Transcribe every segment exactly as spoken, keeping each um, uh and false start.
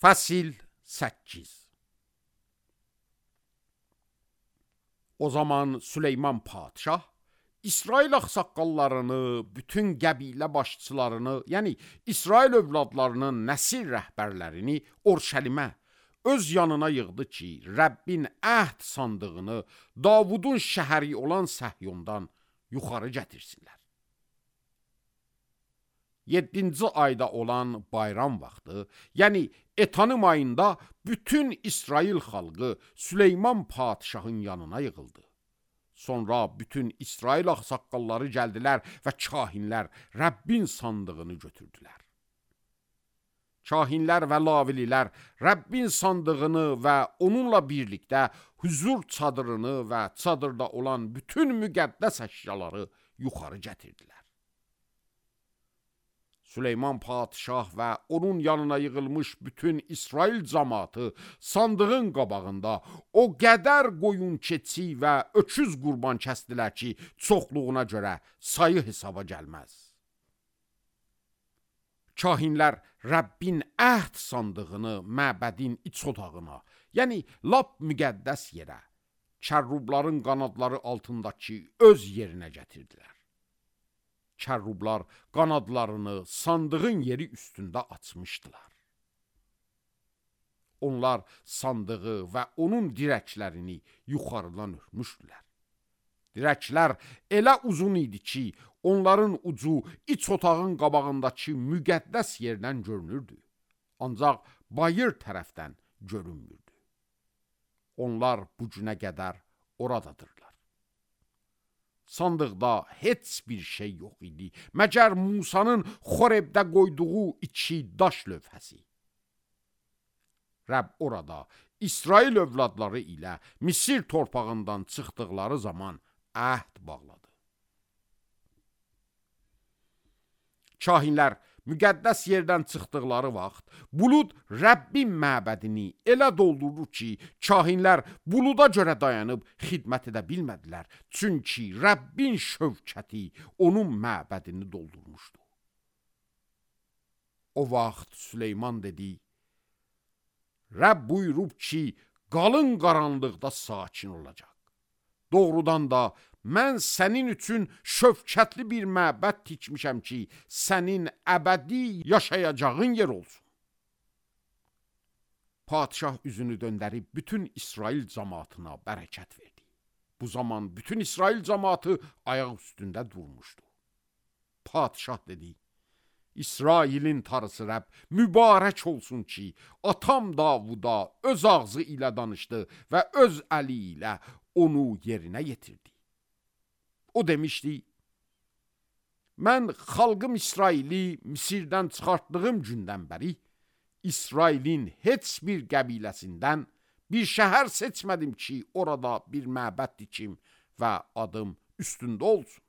Fəsil səkkiz. O zaman Süleyman padşah İsrail ağsaqqallarını, bütün qəbilə başçılarını, yəni İsrail övladlarının nəsil rəhbərlərini Orşəlimə öz yanına yığdı ki, Rəbbin əhd sandığını Davudun şəhəri olan Səhyondan yuxarı gətirsinlər. Yeddinci ayda olan bayram vaxtı, yəni Etanim ayında bütün İsrail xalqı Süleyman padşahın yanına yığıldı. Sonra bütün İsrail ağsaqqalları gəldilər və kahinlər Rəbbin sandığını götürdülər. Kahinlər və lavililər Rəbbin sandığını və onunla birlikdə huzur çadırını və çadırda olan bütün müqəddəs əşyaları yuxarı gətirdilər. Süleyman padşah və onun yanına yığılmış bütün İsrail cəmaatı sandığın qabağında o qədər qoyun keçi və öküz qurban kəsdilər ki, çoxluğuna görə sayı hesaba gəlməz. Kahinlər Rəbbin əhd sandığını məbədin iç otağına, yəni lap müqəddəs yerə, kərrubların qanadları altındakı öz yerinə gətirdilər. Kərrublar qanadlarını sandığın yeri üstündə açmışdılar. Onlar sandığı və onun dirəklərini yuxarıdan örmüşdülər. Dirəklər elə uzun idi ki, onların ucu iç otağın qabağındakı müqəddəs yerdən görünürdü. Ancaq bayır tərəfdən görünmürdü. Onlar bu günə qədər oradadırlar. Sandıqda heç bir şey yox idi, məgər Musanın Xorebdə qoyduğu iki daş lövhəsi. Rəbb orada İsrail övladları ilə Misir torpağından çıxdıqları zaman əhd bağladı. Kahinlər müqəddəs yerdən çıxdıqları vaxt bulud Rəbbin məbədini elə doldurdu ki, kahinlər buluda görə dayanıb xidmət edə bilmədilər. Çünki Rəbbin şövkəti onun məbədini doldurmuşdu. O vaxt Süleyman dedi, Rəbb buyurub ki, qalın qaranlıqda sakin olacaq. Doğrudan da mən sənin üçün şövkətli bir məbəd tikmişəm ki, sənin əbədi yaşayacağın yer olsun. Padşah üzünü döndərib bütün İsrail cəmaatına bərəkət verdi. Bu zaman bütün İsrail cəmaatı ayaq üstündə durmuşdu. Padşah dedi, İsrailin tarısı Rəbb mübarək olsun ki, atam Davuda öz ağzı ilə danışdı və öz əli ilə onu yerinə yetirdi. O demişdi, mən xalqım İsraili Misirdən çıxartdığım gündən bəri İsrailin heç bir qəbiləsindən bir şəhər seçmədim ki, orada bir məbəd dikim və adım üstündə olsun.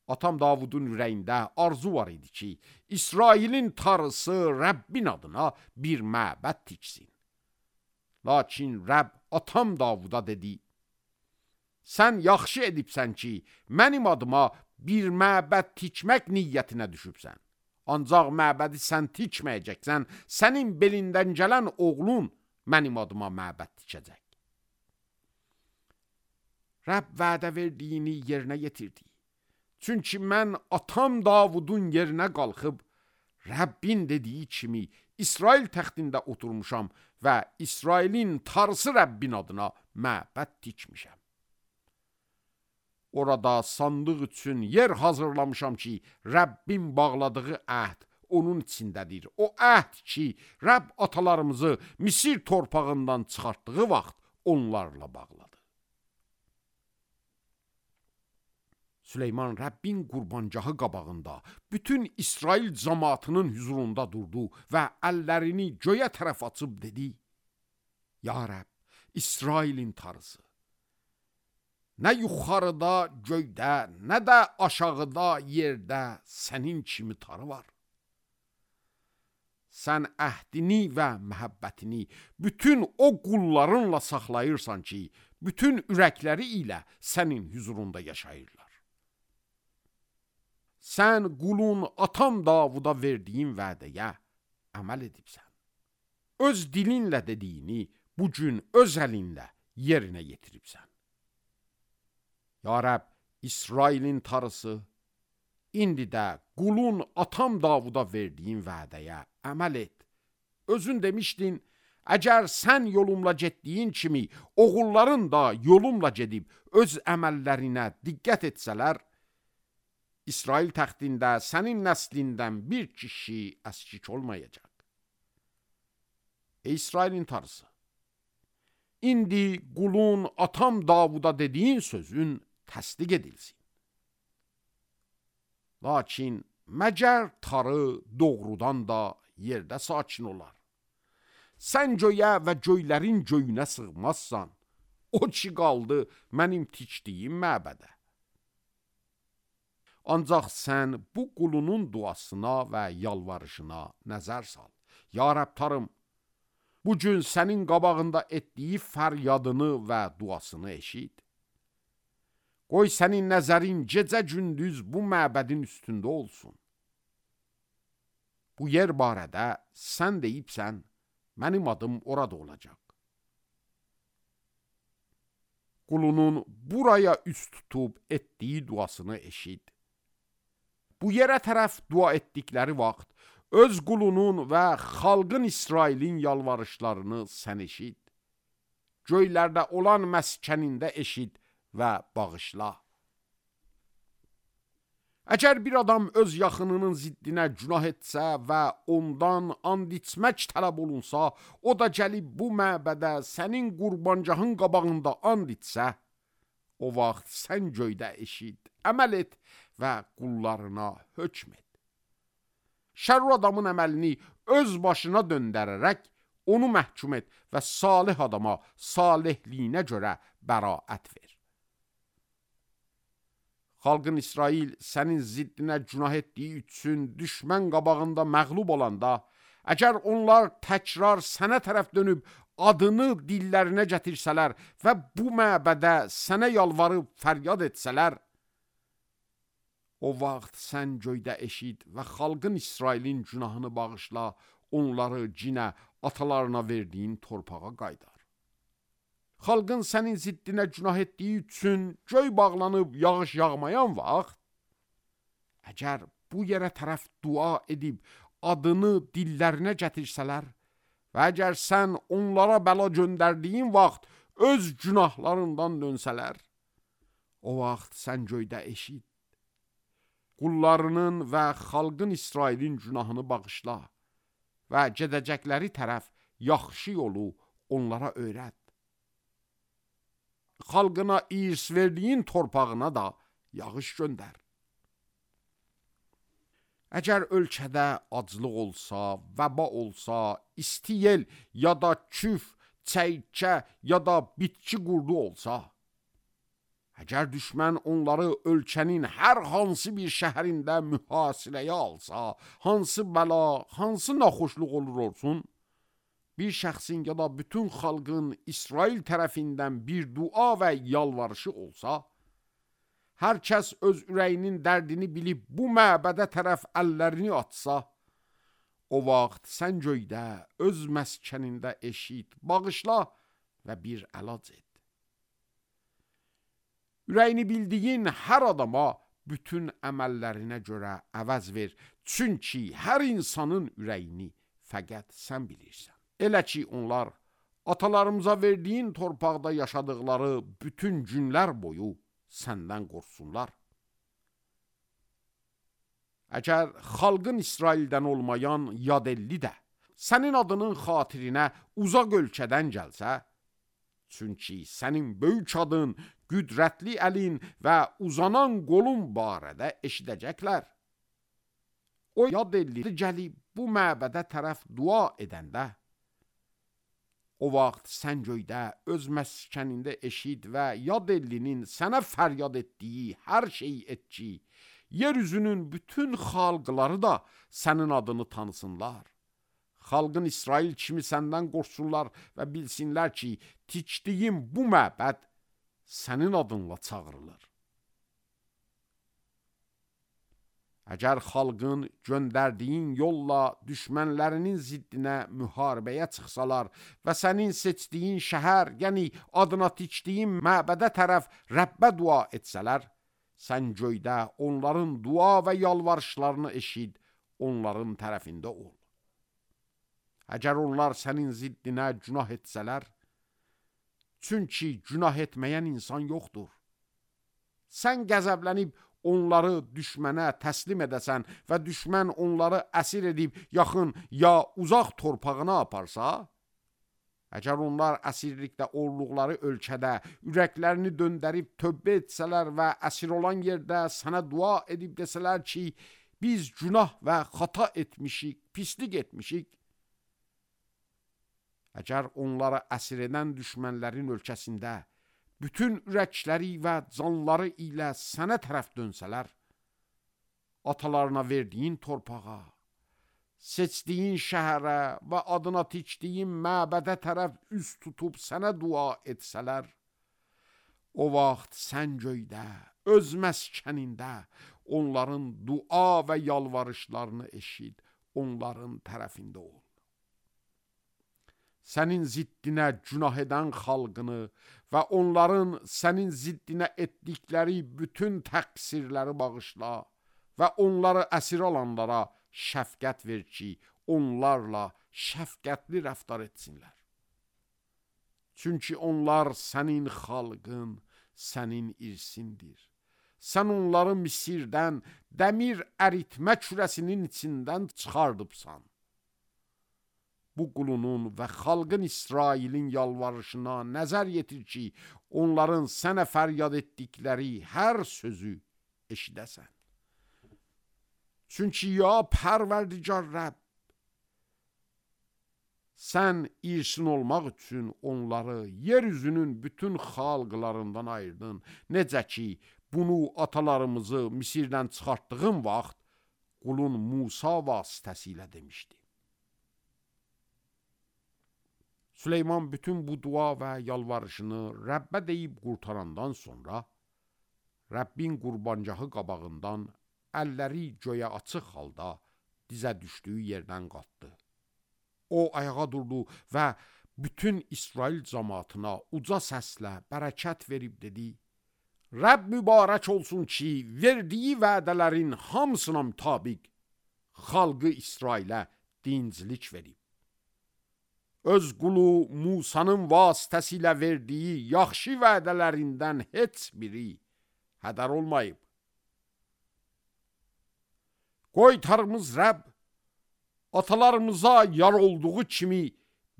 Atam Davudun ürəyində arzu var idi ki, İsrailin tarısı Rəbbin adına bir məbəd tiksin. Lakin Rəbb atam Davuda dedi, sən yaxşı edibsən ki, mənim adıma bir məbəd tikmək niyyətinə düşübsən. Ancaq məbədi sən tikməyəcəksən, sənin belindən gələn oğlun mənim adıma məbəd tikəcək. Rəbb vədə verdiyini yerinə yetirdi. Çünki mən atam Davudun yerinə qalxıb, Rəbbin dediyi kimi İsrail təxtində oturmuşam və İsrailin tarısı Rəbbin adına məbəd tikmişəm. Orada sandıq üçün yer hazırlamışam ki, Rəbbin bağladığı əhd onun içindədir. O əhd ki, Rəbb atalarımızı Misir torpağından çıxartdığı vaxt onlarla bağladı. Süleyman Rəbbin qurbancahı qabağında bütün İsrail cəmaatının huzurunda durdu və əllərini göyə tərəf açıb dedi, Ya Rəbb, İsrailin tarısı, nə yuxarıda göydə, nə də aşağıda yerdə sənin kimi tarı var. Sən əhdini və məhəbbətini bütün o qullarınla saxlayırsan ki, bütün ürəkləri ilə sənin huzurunda yaşayırlar. Sən qulun atam Davuda verdiyin vədəyə əməl edibsən. Öz dilinlə dediyini bu gün öz əlinlə yerinə yetiribsən. Ya Rəbb, İsrailin tarısı, indi də qulun atam Davuda verdiyin vədəyə əməl et. Özün demişdin, əgər sən yolumla getdiyin kimi oğulların da yolumla gedib öz əməllərinə diqqət etsələr, İsrail təxtində sənin nəslindən bir kişi əskik olmayacaq. Ey İsrailin tarısı, indi qulun atam Davuda dediyin sözün təsdiq edilsin. Lakin məgər tarı doğrudan da yerdə sakin olar. Sən göyə və göylərin göyünə sığmazsan, o ki qaldı mənim tikdiyim məbədə. Ancaq sən bu qulunun duasına və yalvarışına nəzər sal. Ya Rəbb tarım, bu gün sənin qabağında etdiyi fəryadını və duasını eşit. Qoy sənin nəzərin gecə-gündüz bu məbədin üstündə olsun. Bu yer barədə sən deyibsən, mənim adım orada olacaq. Qulunun buraya üst tutub etdiyi duasını eşit. Bu yerə tərəf dua etdikləri vaxt, öz qulunun və xalqın İsrailin yalvarışlarını sən eşit. Göylərdə olan məskənində eşit və bağışla. Əgər bir adam öz yaxınının ziddinə günah etsə və ondan and içmək tələb olunsa, o da gəlib bu məbədə sənin qurbancağın qabağında and içsə, o vaxt sən göydə eşit, əməl et və qullarına hökm et. Şərr adamın əməlini öz başına döndərərək onu məhkum et və salih adama salihliyinə görə bəraət ver. Xalqın İsrail sənin ziddinə günah etdiyi üçün düşmən qabağında məğlub olanda, əgər onlar təkrar sənə tərəf dönüb adını dillərinə gətirsələr və bu məbədə sənə yalvarıb fəryad etsələr, o vaxt sən göydə eşit və xalqın İsrailin günahını bağışla, onları cinə atalarına verdiyin torpağa qaydar. Xalqın sənin ziddinə günah etdiyi üçün göy bağlanıb yağış yağmayan vaxt, əgər bu yerə tərəf dua edib adını dillərinə gətirsələr və əgər sən onlara bəla göndərdiyin vaxt öz günahlarından dönsələr, o vaxt sən göydə eşit. Qullarının və xalqın İsrailin günahını bağışla və gedəcəkləri tərəf yaxşı yolu onlara öyrət. Xalqına irs verdiyin torpağına da yağış göndər. Əgər ölkədə aclıq olsa, vəba olsa, isti yel ya da küf, çəykə ya da bitki qurdu olsa, əgər düşmən onları ölkənin hər hansı bir şəhərində mühasirəyə alsa, hansı bəla, hansı naxoşluq olur olsun, bir şəxsin ya da bütün xalqın İsrail tərəfindən bir dua və yalvarışı olsa, hər kəs öz ürəyinin dərdini bilib bu məbədə tərəf əllərini atsa, o vaxt sən göydə öz məskənində eşit, bağışla və bir əlac et. Ürəyini bildiyin hər adama bütün əməllərinə görə əvəz ver, çünki hər insanın ürəyini fəqət sən bilirsən. Elə ki onlar atalarımıza verdiyin torpaqda yaşadıkları bütün günlər boyu səndən qorxsunlar. Əgər xalqın İsraildən olmayan yadelli də sənin adının xatirinə uzaq ölkədən gəlsə, çünki sənin böyük adın, qüdrətli əlin və uzanan qolun barədə eşidəcəklər. O yadelli gəlib bu məbədə tərəf dua edəndə, o vaxt sən göydə öz məskənində eşit və yad ellinin sənə fəryad etdiyi hər şeyi et ki, yeryüzünün bütün xalqları da sənin adını tanısınlar. Xalqın İsrail kimi səndən qorxsunlar və bilsinlər ki, tikdiyim bu məbəd sənin adınla çağırılır. Əgər xalqın göndərdiyin yolla düşmənlərinin ziddinə müharibəyə çıxsalar və sənin seçdiyin şəhər, yəni adına tikdiyin məbədə tərəf Rəbbə dua etsələr, sən göydə onların dua və yalvarışlarını eşid, onların tərəfində ol. Əgər onlar sənin ziddinə günah etsələr, çünki günah etməyən insan yoxdur. Sən qəzəblənib onları düşmənə təslim edəsən və düşmən onları əsir edib yaxın ya uzaq torpağına aparsa, əgər onlar əsirlikdə olduqları ölkədə ürəklərini döndərib tövbə etsələr və əsir olan yerdə sənə dua edib desələr ki, biz günah və xata etmişik, pislik etmişik, əgər onları əsir edən düşmənlərin ölkəsində bütün ürəkləri və canları ilə sənə tərəf dönsələr, atalarına verdiyin torpağa, seçdiyin şəhərə və adına tikdiyin məbədə tərəf üz tutub sənə dua etsələr, o vaxt sən göydə, öz məskənində onların dua və yalvarışlarını eşid, onların tərəfində ol. Sənin ziddinə günah edən xalqını və onların sənin ziddinə etdikləri bütün təqsirləri bağışla və onları əsir alanlara şəfqət ver ki, onlarla şəfqətli rəftar etsinlər. Çünki onlar sənin xalqın, sənin irsindir. Sən onları Misirdən, dəmir əritmə kürəsinin içindən çıxardıbsan. Bu qulunun və xalqın İsrailin yalvarışına nəzər yetir ki, onların sənə fəryad etdikləri hər sözü eşidəsən. Çünki ya Pərverdigar Rəbb, sən irsin olmaq üçün onları yeryüzünün bütün xalqlarından ayırdın. Necə ki, bunu atalarımızı Misirdən çıxartdığın vaxt qulun Musa vasitəsilə demişdi. Süleyman bütün bu dua və yalvarışını Rəbbə deyib qurtarandan sonra, Rəbbin qurbancahı qabağından əlləri göyə açıq halda dizə düşdüyü yerdən qalxdı. O ayağa durdu və bütün İsrail cəmaatına uca səslə bərəkət verib dedi, Rəbb mübarək olsun ki, verdiyi vədələrin hamısına mütabiq xalqı İsrailə dincilik verib. Öz qulu Musanın vasitəsilə verdiyi yaxşı vədələrindən heç biri hədər olmayıb. Qoy Tanrımız Rəbb atalarımıza yar olduğu kimi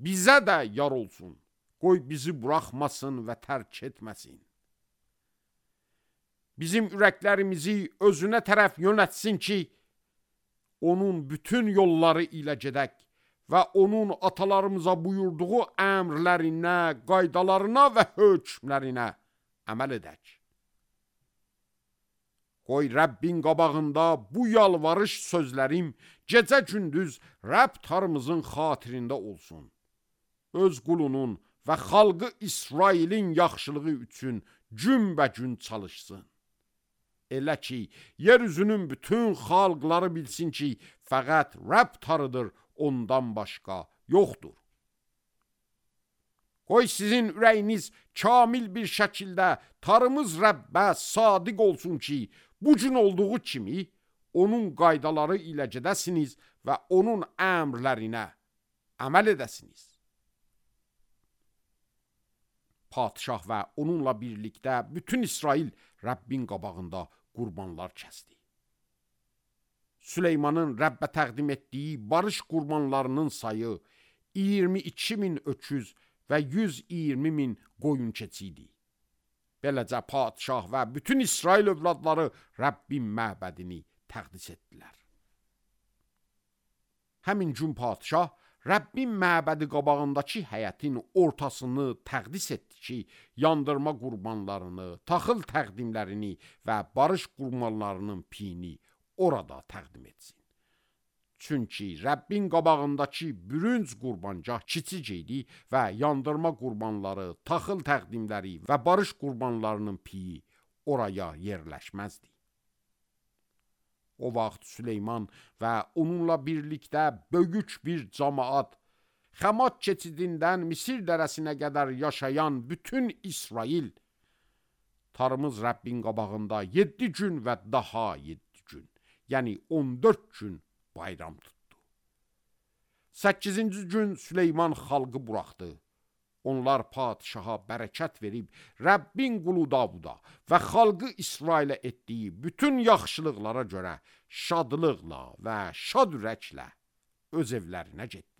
bizə də yar olsun. Qoy bizi buraxmasın və tərk etməsin. Bizim ürəklərimizi özünə tərəf yönətsin ki, onun bütün yolları ilə gedək və onun atalarımıza buyurduğu əmrlərinə, qaydalarına və hökmlərinə əməl edək. Qoy Rəbbin qabağında bu yalvarış sözlərim gecə-gündüz Rəbb Tanrımızın xatirində olsun. Öz qulunun və xalqı İsrailin yaxşılığı üçün günbə-gün çalışsın. Elə ki, yeryüzünün bütün xalqları bilsin ki, fəqət Rəbb Tanrıdır, ondan başqa yoxdur. Qoy sizin ürəyiniz kamil bir şəkildə Tanrımız Rəbbə sadiq olsun ki, bu gün olduğu kimi onun qaydaları ilə gedəsiniz və onun əmrlərinə əməl edəsiniz. Padişah və onunla birlikdə bütün İsrail Rəbbin qabağında qurbanlar kəsdi. Süleymanın Rəbbə təqdim etdiyi barış qurbanlarının sayı iyirmi iki min öküz və yüz iyirmi min qoyun keçi idi. Beləcə padişah və bütün İsrail övladları Rəbbin məbədini təqdis etdilər. Həmin gün padişah Rəbbin məbədi qabağındakı həyətin ortasını təqdis etdi ki, yandırma qurbanlarını, taxıl təqdimlərini və barış qurbanlarının piyini orada təqdim etsin. Çünki Rəbbin qabağındakı bürünc qurbancaq kiçik idi və yandırma qurbanları, taxıl təqdimləri və barış qurbanlarının piyi oraya yerləşməzdi. O vaxt Süleyman və onunla birlikdə böyük bir cəmaət, Xəmat keçidindən Misir dərəsinə qədər yaşayan bütün İsrail, Tanrımız Rəbbin qabağında yeddi gün və daha yeddi gün, yəni on dörd gün bayram tutdu. Səkkizinci gün Süleyman xalqı buraxdı. Onlar padişaha bərəkət verib, Rəbbin qulu Davuda və xalqı İsrailə etdiyi bütün yaxşılıqlara görə şadlıqla və şad ürəklə öz evlərinə getdilər.